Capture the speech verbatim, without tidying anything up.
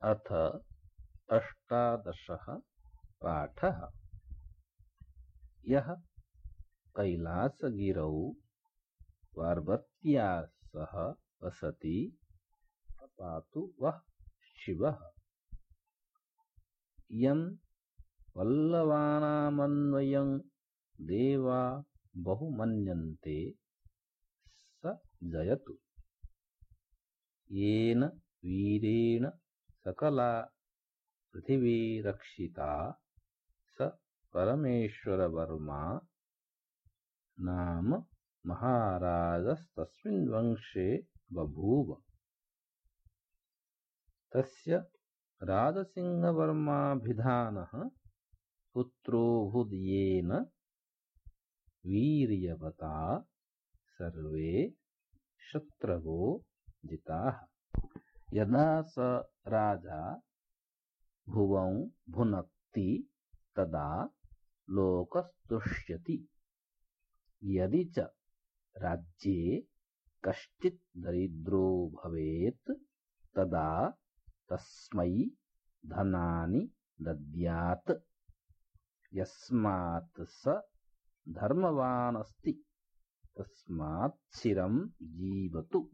अथ अष्टादशः पाठः। यः कैलासगिरौ पार्वत्या सह वसति स पातु वः शिवः। यं पल्लवानामन्वयं देवा बहुमन्यन्ते स जयतु। येन वीरेण सकला पृथिवी रक्षिता स परमेश्वरवर्मा नाम महाराजस्तस्मिन् वंशे बभूव। तस्य राजसिंहवर्माभिधानः पुत्रोऽभूद्। वीर्यवता सर्वे शत्रवो जिताः। यदा स राजा भुवं भुनक्ति तदा लोकस्तुष्यति। यदि च राज्ये कश्चित् दरिद्रो भवेत् तदा तस्मै धनानि दद्यात्। यस्मात् स धर्मवान् अस्ति तस्मात् चिरं जीवतु।